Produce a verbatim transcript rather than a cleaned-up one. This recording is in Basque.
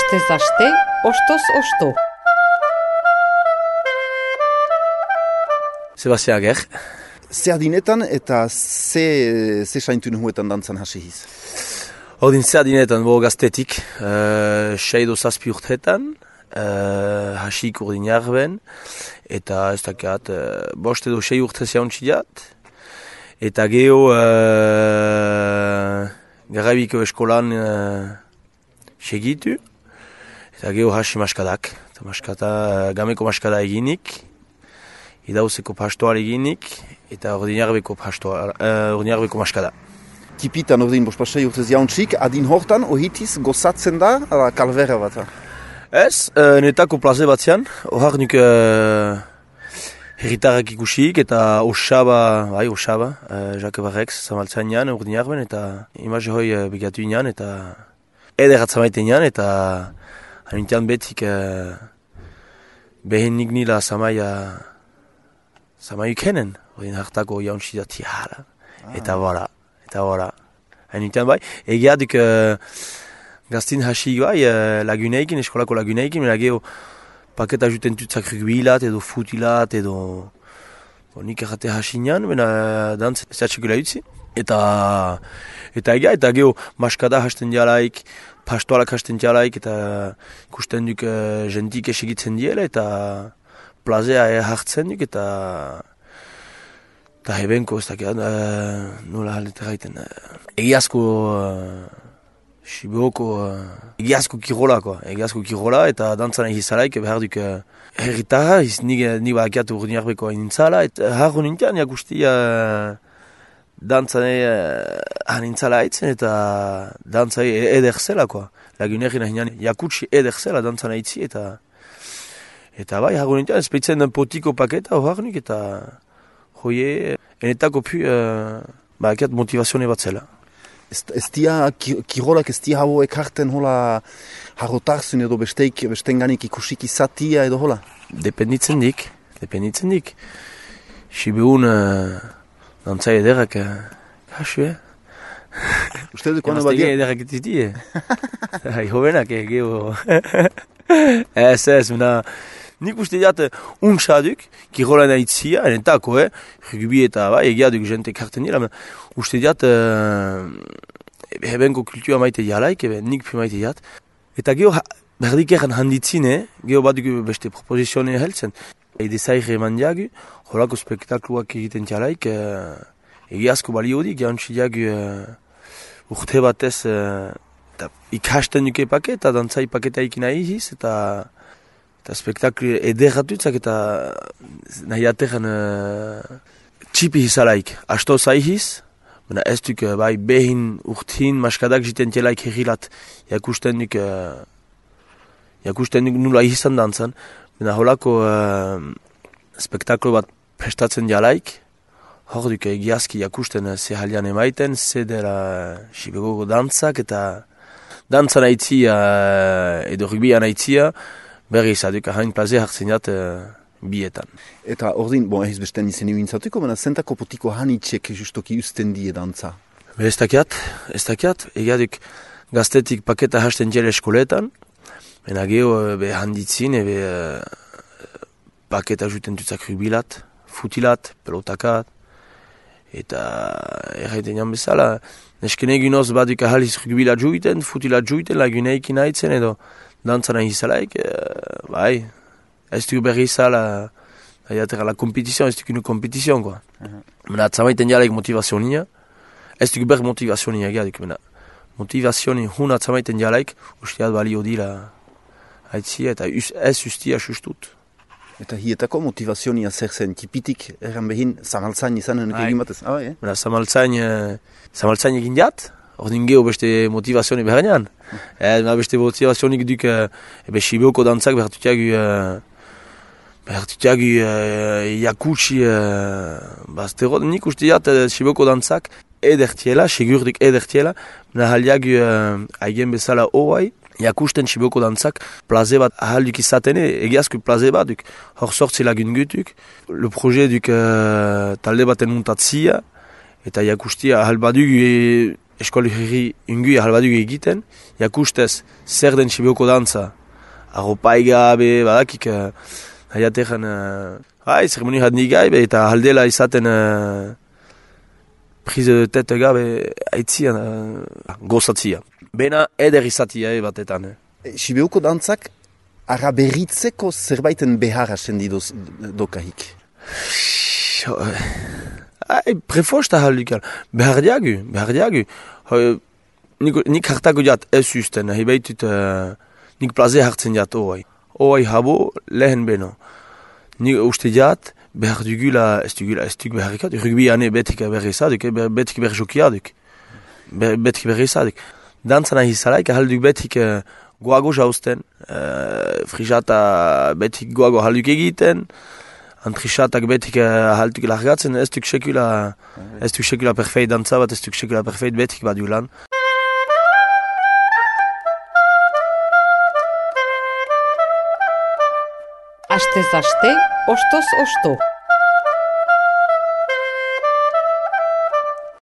Astez aste, ostoz osto. Sebastia Ager. Zer dinetan eta ze, ze saintun huetan dantzan hasi hiz? Ordin zer dinetan, bo gaztetik, uh, seido zazpi urtetan, uh, hasik urdin jarben, eta ez dakiat, uh, bost edo sei urte zauntziat, eta geho uh, Garabiko eskolan uh, segitu, eta geho hasi maskadak, eta maskata, uh, gameko maskada eginik, idauzeko pastoal eginik, eta ordinarbeko pastoal, uh, ordinarbeko maskada. Tipitan ordin bospasei urtez jauntzik, adin hortan ohitiz gozatzen da, ala kalvera bat? Ez, uh, netako plaze batzean, ohar nuk uh, herritarrak ikusik, eta osaba, bai osaba, uh, Jake Barrex, zamaltzean jan, ordinarben, eta imaze hoi uh, begatu inan, eta ederat zamaiten jan, eta hanintian betik uh, behen nik nila zamaia Zama ikenen, odin hartako jauntzi dati hala, eta bora, eta bora. Hain bai, egia duk uh, gaztin hasi bai, uh, laguneikin, eskolako laguneikin, mena geho paketa juten tutzak rugbilat, edo futilat, edo bon, nik errate hasi nian, mena dantz zatxekula utzi. Eta, eta egia, eta geho maskada hasten dialaik, pastoalak hasten dialaik, eta ikusten duk uh, jentik esegitzen diela, eta plazea hartzen duk, eta eta hebenko ez dakiat, uh, nola haldeta gaiten. Uh, egiazko uh, Sibeoko, uh, egiazko kirolakoa, egiazko kirola, eta dantzana izalaik, behar duk uh, herritarra, nik badakiatu urdinarbeko nintzala, eta harro nintian, jakusti uh, dantzane uh, nintzala haitzen, eta dantzai eder zelakoa. Lagunerin ahinean, jakutsi eder zela dantzana hitzi, eta Eta bai, harro nintian, espeitzen den potiko paketa, hoharnik, eta hoie, enetako pu, uh, ba, ekiat motivazione bat zela. Ez, ez dia, ki, kirolak ez dia hau ekarten hola harrotarzun edo besteik, bestenganik ikusik izatia edo hola? Dependitzen dik, dependitzen dik. Sibeun, uh, dantzai ederak, uh, kasu, eh? Uste dut, kono badia? Ederak etiti, eh? Hobenak, eh, geho. Ez, ez, mena... Nik uste diat, untsaduk, kirolan aitzia, enetako, eh? Rugby eta, bai, egia duk jente karten dira, uste diat, uh, hebenko kultua maite dialaik, nik pi maite diat. Eta geho, berdik eran handitzin, eh? Geho baduk beste proposizione heltzen. Ede zaire eman diagu, holako spektakluak egiten dialaik, uh, egiazko balio dik, jantzi diagu uh, urte batez, uh, ikasten duke paket, eta dantzai paketa ikina iziz, eta... Eta spektaklu ederratutzak eta nahi ateran uh, txipi hizalaik. Asto zaihiz, baina ez duk uh, bai behin urtin maskadak jiten tielaik herrilat jakusten duk, uh, jakusten duk nula izan dantzan. Baina holako uh, spektaklu bat prestatzen dialaik, hor duk egiazki jakusten uh, ze halian emaiten, ze dela uh, Sibeoko dantzak eta dantzan aitzia uh, edo rugbian aitzia, berri izaduk, hain plaze hartzen jat uh, bietan. Eta ordin, bon, ez besten izen ibintzatuko, baina zentako potiko hanitxek justoki usten die dantza? Be ez dakiat, ez dakiat, egiaduk gaztetik paketa hasten jele eskoletan, baina geho be handitzin, ebe uh, paketa juten tutzak rugbilat, futilat, pelotakat, eta erraiten jan bezala, nesken eginoz baduk ahaliz rugbilat juiten, futilat juiten, laguneikin haitzen edo, dantzana izalaik, uh, bai, ez duk berri izala, uh, la kompetizioan, ez duk inu kompetizioan, koa. Uh-huh. Mena, atzamaiten jalaik motivazionia, ez duk berri motivazionia egiadik, mena, motivazioni hun atzamaiten jalaik, usteat balio dira haitzia, eta us, ez ustia sustut. Eta hietako motivazionia zer zen, tipitik erran behin, zamaltzain izanen egin batez, ah, eh? Mena, zamaltzain, uh, zamaltzain egin jat, ordin geho beste motivazioni behar Eh, beste motivazionik duk, uh, ebe Sibeoko dantzak behartutiagu, uh, behartutiagu uh, jakutsi, uh, baztero, nik uste diat uh, Sibeoko dantzak edertiela, segurdik edertiela, nahaliagu uh, aigen bezala hoai, jakusten Sibeoko dantzak plaze bat ahalduk izatene, egiazko plaze bat duk, hor sortzi lagun gutuk, le proje duk uh, talde baten muntatzia, eta jakustia ahal baduk, e, eskoli herri unguia halbaduk egiten, jakustez zer den Sibioko dantza, arropai gabe, badakik, uh, haiatean, uh, hai, zeremoni hadnik gabe, eta haldela izaten uh, prise de tete gabe aitzian, uh, gozatzia. Bena eder izatia e batetan. Eh. Sibioko dantzak araberritzeko zerbaiten beharra sendidoz dokahik. Ai, prefosta halukal. Behar diagu, behar diagu. Nik, nik hartako jat ez usten, nahi behitut uh, nik plaze hartzen jat oai. Oai habo lehen beno. Nik uste jat behar dugula, ez dugula, ez dug behar ikat. Rugbi ane betik berri izaduk, betik berri jokiaduk. Betik berri izaduk. Dantzan ahi zalaik, ahalduk betik uh, goago jausten, uh, frisata betik goago ahalduk egiten, antrisatak betik uh, ahalduk largatzen, ez duk sekula, ez duk sekula perfeit dantza bat, ez duk sekula perfeit betik badu lan. Astez aste, ostoz osto.